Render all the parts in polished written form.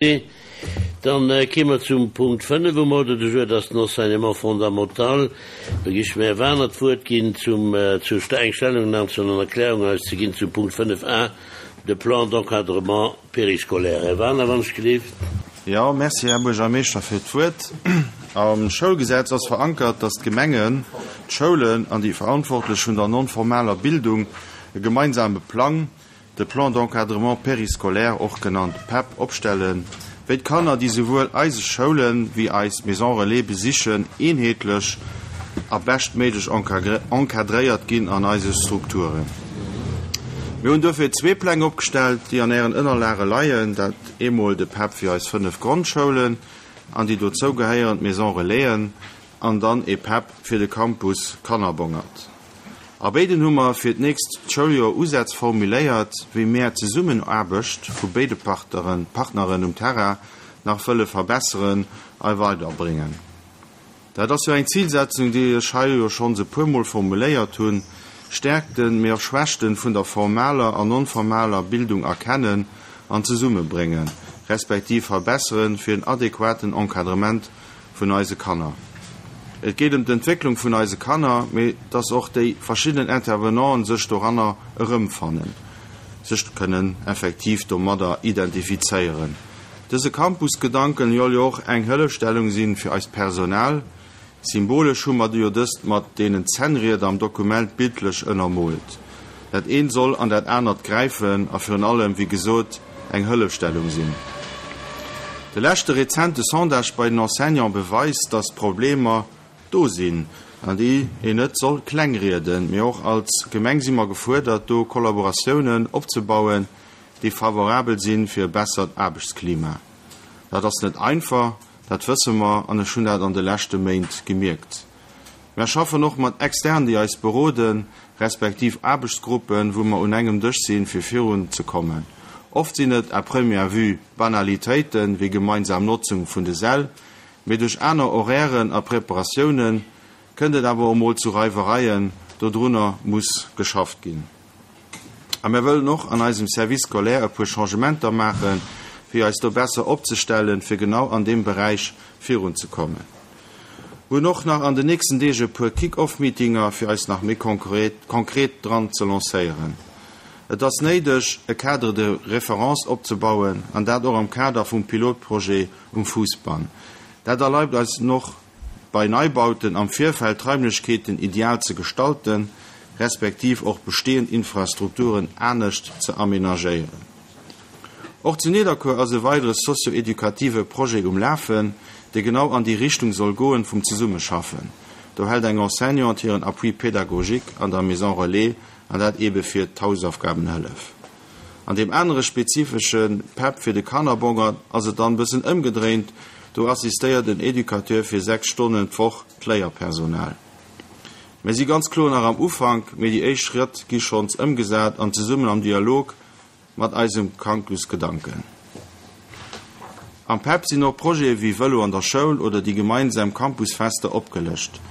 Dann kéime mer zum Punkt 5 um Ordre du jour, dat ass den Enseignement fondamental. Do gi ech dem Här Wagener d'Wuert ginn, zum, zu eng Stellungnahme zu an Erklärung eis ze ginn zum Punkt 5 a, de Plan d'encadrement périscolaire. Här Wagener, wann ech gelift. Jo, merci, Här Buergermeeschter, fir d'Wuert. Am Schoulgesetz ass verankert, dass d'Gemengen, d'Schoulen an déi Verantwortlech vun der non-formaler Bildung e gemeinsame Plang, de Plan d'encadrement périscolaire, och genannt PEP, opstellen, wéi d'Kanner, déi souwuel eise Schoulen wéi eis Maisons Relais besichen, eenheetlech a beschtméiglech encadréiert ginn an eise Strukturen. Mir hunn duerfir zwee Pläng opgestellt, déi an Ären Ënnerlage leien, dat eemol de PEP fir eis 5 Grondschoulen an déi dozou gehéierend Maisons Relaisen an dann ee PEP fir de Campus Kannerbongert. A béiden hu mer fir d'nächst Schouljoer Usätz formuléiert, wéi mär d'Zesummenaarbecht vu béide Partneren um Terrain nach wëlle verbesseren a weiderbréngen. Dat ass jo eng Zilsetzung, déi ech hei jo schonns e puermol formuléiert hunn, Stärkten, mee och Schwächten vun der formaler an non-formaler Bildung erkennen an zesummebréngen, respektiv verbesseren, fir en adequaten Encadrement vun eise Kanner. Et geet ëm d'Entwécklung vun eise Kanner, mee dass och déi verschidden Intervenanten sech doranner erëmfannen, sech kënnen effektiv domadder identifizéieren. Dëse Campus-Gedanken joll jo och eng Hëllefstellung sinn fir eist Personal. Symbolesch hu mer jo dëst mat deenen Zännrieder am Dokument bildlech ënnermoolt. Dat eent soll an dat anert gräifen a virun allem, wéi gesot, eng Hëllefstellung sinn. De leschte rezente Sondage bei den Enseignants beweist, dass d'Problemer do sinn an déi een net soll klengrieden. Mee och als Gemeng si mer gefuerdert, do Kollaboratiounen opzebauen, déi favorabel sinn fir e bessert Aarbechtsklima. Dat ass net einfach, dat wësse mer an ech hunn dat an de leschte Méint gemierkt. Mär schaffen och mat Externen, déi eis beroden, respektiv Aarbechtsgruppen, wou mer un engem Dësch sinn, fir virun ze kommen. Oft sinn et à première vue Banalitéiten, wéi gemeinsam Notzung vun de Säll, mee duerch aner Horairen a Preparatiounen kënnt et awer och mol zu Reiwereien. Dodrunner muss geschafft ginn. A mär wëllen och an eisem Service scolaire e puer Changementer maachen, fir eis do besser opzestellen, fir genau an deem Beräich virunzekommen. Mir hunn och nach an den nächsten Deeg e puer Kick-off-Meetinger, fir eis nach méi konkret dran ze lancéieren. Et ass néideg, e Cadre de référence opzebauen, an dat och am Kader vum Pilotprojet um Fousbann. Dat erlaibt eis och, bei Neibauten am Virfeld d'Raimlechkeeten ideal ze gestalten, respektiv och bestehend Infrastrukturen anescht ze amenagéieren. Och zu Nidderkuer ass e weidere socio-educative Projet um Lafen, dee genau an déi Richtung soll goen vum Zesummeschaffen. Do hält eng Enseignante hiren Appui pédagogique an der Maison Relais, an dat eebe fir d'Hausaufgabenhëllef. An deem anere spezifesche PEP fir de Kannerbongert ass et dann bëssen ëmgedréint, do assistéiert en Educateur fir 6 Stonnen d'Woch d'Léierpersonal. Mir si ganz kloer nach am Ufank, mee déi éischt Schrëtt gi schonns ëmgesat an zesummen am Dialog mat eisem Campusgedanken. Am PEP sinn och Projete wéi Vëlo an der Schoul oder déi gemeinsam Campusfester opgelëscht.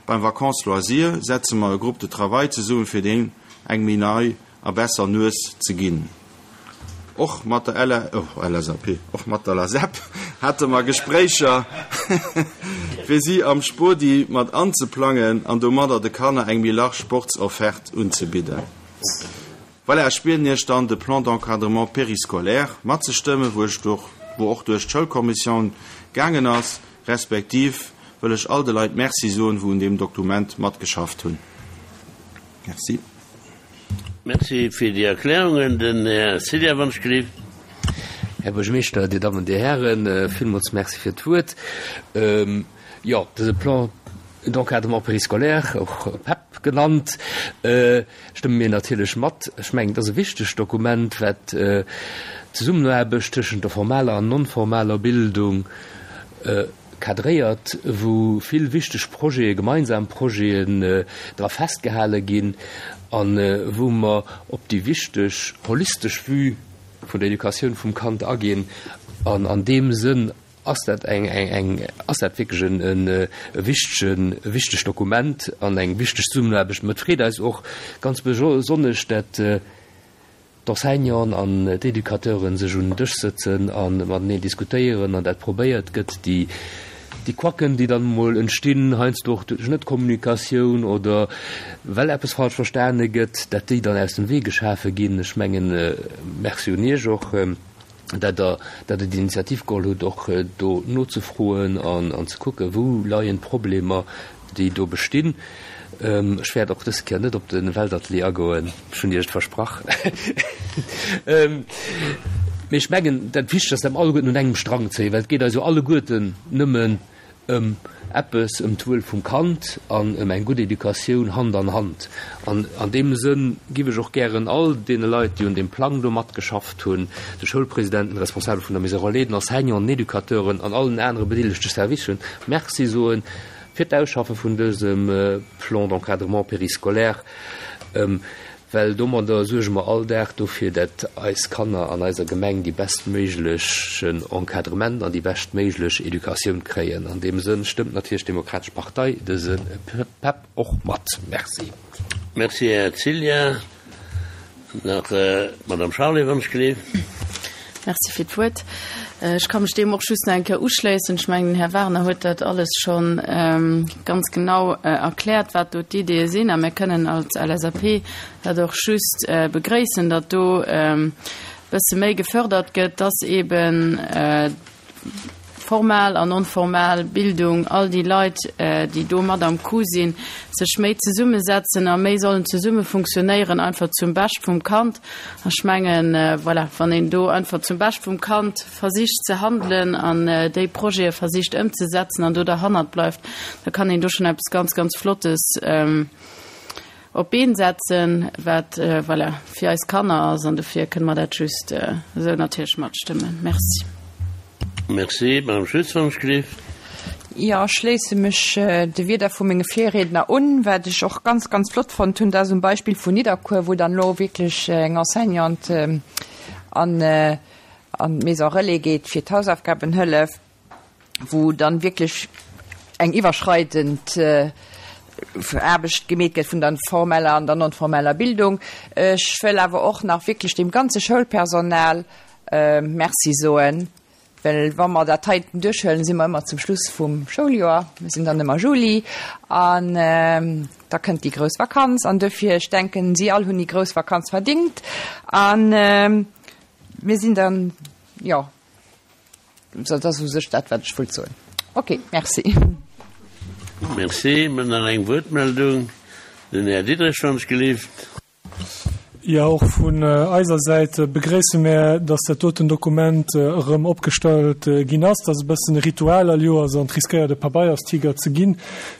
Beim Vacances Loisirs setze mer e Groupe de travail zesumme fir deem eng méi nei a besser Nues ze ginn. Och mat der LA, oh, LSAP, och mat der LASEP hate mer Gespréicher, fir si am Spodi mat anzeplangen an domadder de Kanner eng méi large Sportsofferte unzebidden. Voilà, ech bieden Iech dann, de Plan d'encadrement périscolaire matzestëmmen, wou ech durch, wou och duerch d'Schoulkommissioun gaangen ass, respektiv wëll ech all de Leit Merci soen, wou un deem Dokument matgeschafft hunn. Merci. Merci fir déi Erklärungen. Den Här Cilla Wunschgelift. Här Buergermeeschter, Dir Dammen, Dir Hären, villmools Merci fir d'Wuert. Jo, dëse Plan d'encadrement périscolaire, och PEP genannt, stëmme mir natierlech mat. Ech mengen, et ass e wichtegt Dokument, wat d'Zesummenaarbecht tëschent der formaler an non-formaler Bildung cadréiert, wou vill wichteg Projete, gemeinsam Projeten dra festgehale ginn a wou mer op déi wichteg holistesch Vue vun der Educatioun vum Kand aginn. An an deem Sënn ass dat eng, eng, ass dat wierklech en e wichtegen, e wichtegt Dokument an eng wichteg Zesummenaarbecht. Mä et freet eis och ganz besonnesch, dat. d'Enseignanten an d'Educateuren sech un den Dësch sëtzen a mateneen diskutéieren an dat probéiert gëtt, déi déi Quacken, déi dann emol entstinn, heiansdo och duerch Net-Kommunikatioun oder well eppes falsch verstane gëtt, dat déi dann aus dem Wee geschafe ginn. Ech mengen, Merci un Iech och, dat Der dat Der d'Initiativ geholl hutt, och do nozefroen an an ze kucken, wou leien d'Problemer, déi do bestinn. Ech wäert och dës Kéier net op de Weltatelier agoen, ech hunn Iech et versprach. Mee ech mengen, dat Wichtegst ass, dat mer alleguerten un engem Strang zéien, well et geet eis jo alleguerten nëmmen ëm eppes, ëm d'Wuel vum Kand an ëm eng gutt Educatioun Hand an Hand. An an deem Sënn giff ech och gären all deene Leit, déi un deem Plang do matgeschafft hunn, de Schoulpresidenten, de Responsabele vun der Maison relais, den Enseignanten, den Educateuren an allen anere bedeelegte Servicen Merci soen fir d'Ausschaffe vun dësem Plan d'encadrement périscolaire, well domadder suerge mer all Dag dofir, dat eis Kanner an eiser Gemeng déi bestméiglechen Encadrement an déi beschtméiglech Educatioun kréien. An deem Sënn stëmmt natierlech d'Demokratesch Partei dëse PEP och mat. Merci. Merci, Här Cillien. Nach d'Madame Charlé, wann ech gleef. Merci fir d'Wuert. Ech ka mech deem och just nach eng Kéier uschléissen. Ech mengen, den Här Werner huet dat alles scho ganz genau erkläert, wat do d'Ideeë sinn. A mir kënnen als LSAP dat och just begréissen, datt do e bësse méi gefördert gëtt, dass eeben formal an non-formal Bildung, all déi Leit, déi do mat am Coup sinn, sech méi zesummesetzen a méi sollen zesumme funktionéieren, einfach zum Bescht vum Kand. An ech mengen, voilà, wann een do einfach zum Bescht vum Kand versicht ze handelen an déi Projete versicht ëmzesetzen an do derhannert bleift, da kann een do schonn eppes ganz, ganz Flottes op d'Been setzen, wat, voilà, fir eis Kanner ass. An dofir kënne mer dat just esou natierlech matstëmmen. Merci. Merci. Madame Schütz, wann ech gleef. Jo, ech schléisse mech de Wierder vu menge Virriedner un. Wat ech och ganz, ganz flott fonnt hunn, dat ass um Beispill vun Nidderkuer, wou dann elo wierklech eng Enseignante an d'Maison relais geet fir d'Hausaufgabenhëllef. wou dann wierklech eng iwwerschreidend Aarbecht gemeet gëtt vun der formeller an der non-formeller Bildung. Ech wëll awer och nach wierklech dem ganze Schoulpersonal Merci soen, well wa mer dat heiten duerchhuelen, si mer ëmmer zum Schluss vum Schouljoer, mir sinn dann ëmmer Juli an da kënnt déi grouss Vakanz an duerfir, ech denken, si all hunn déi grouss Vakanz verdingt a mir sinn dann, jo, Dat ass u sech dat, wat ech wollt soen. Ok, merci. Merci. Mir hunn nach eng Wuertmeldung. Den Här Diderich, wann ech gelift. Jo, och vun eiser Säit begréisse mär, dass dat doten Dokument erëm opgestallt ginn ass. Dat ass e bëssen e Ritual all Joers an et riskéiert e Pabeierstiger ze ginn.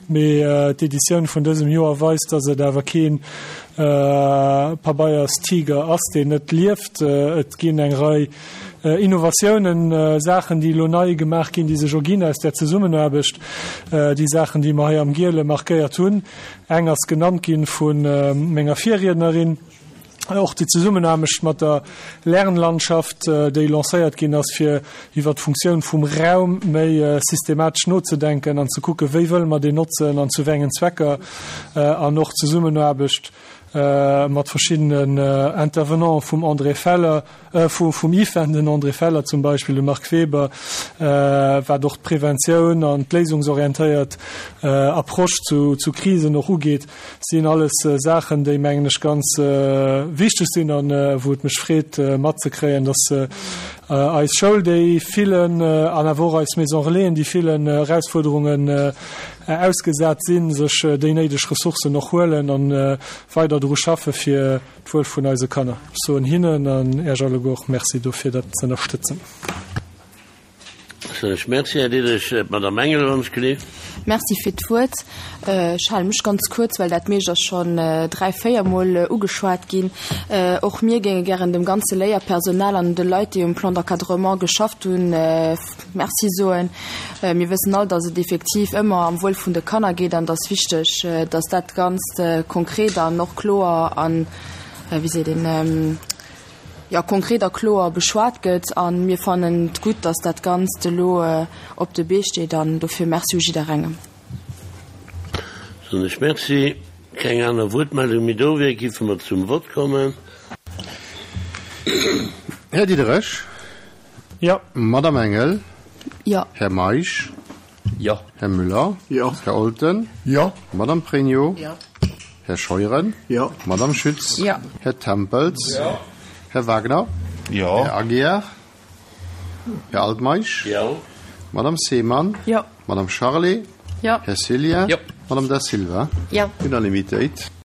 Mee d'Editioun vun dësem Joer weist, dass et awer kee Pabeierstiger ass, deen net lieft. Et ginn eng Rei Innovatiounen, Saachen, déi elo nei gemaach ginn, déi sech erginn aus där Zesummenaarbecht, déi Saachen, déi mer hei am Giele markéiert hunn. Eng ass genannt gi vu menger Virriednerin, och déi Zesummenaarbecht mat der Lernlandschaft, déi lancéiert ginn ass, fir iwwert d'Funktioun vum Raum méi systematesch nozedenken an ze kucken, wéi wëlle mer deen notzen an zu wéi engen Zwecker, an och d'Zesummenaarbecht mat verschiddenen Intervenanten vum André Feller, vum IFEN, den André Feller zum Beispill, de Marc Weber, wat och d'Preventioun an d'léisungsorientéiert Approche zu Krisen och ugeet, sinn alles Saachen, déi, mengen ech, ganz wichteg sinn a wou et mech freet matzekréien, dass eis Schoul déi villen an awer och eis Maison Relaisen déi villen Erausfuerderungen ausgesat sinn, sech déi néideg Ressourcen och huelen a weider dru schaffe fir d'Wuel vun eise Kanner. Ech soen hinnen an Äech alleguer och Merci dofir, dat z'ënnerstëtzen. Soen ech Merci, Här Diderich. D'Madame Engel, wann ech gleef. Merci fir d'Wuert. Ech hale mech ganz kuerz, well dat meescht ass schonn dräi, véiermol ugeschwat ginn. Och mir géinge gären dem ganze Léierpersonal an de Leit, déi um Plan d'encadrement geschafft hunn, Merci soen. Mir wëssen all, dass et effektiv ëmmer am Wuel vun de Kanner geet an dass wichteg, dass dat Ganzt konkret an och kloer an, wéi seet een, jo, konkret a kloer beschwat gëtt. A mir fannen et gutt, dass dat Ganzt elo op de Bee steet an dofir Merci u jidderengem. Soen ech Merci. Keng aner Wuertmeldung méi do wier, giffe mer zum Vott kommen. Här Diderich? Jo. Madame Engel? Jo. Här Meisch? Jo. Här Müller? Jo. Här Olten? Jo. Madame Pregno? Jo. Här Scheuren? Jo. Madame Schütz? Jo. Här Tempels? Jo. Här Wagner? Jo. Här Aguiar? Här Altmeisch? Jo. Madame Seemann? Jo. Madame Charlé? Jo. Här Cillien? Jo. Madame Da Silva? Jo. Unanimitéit.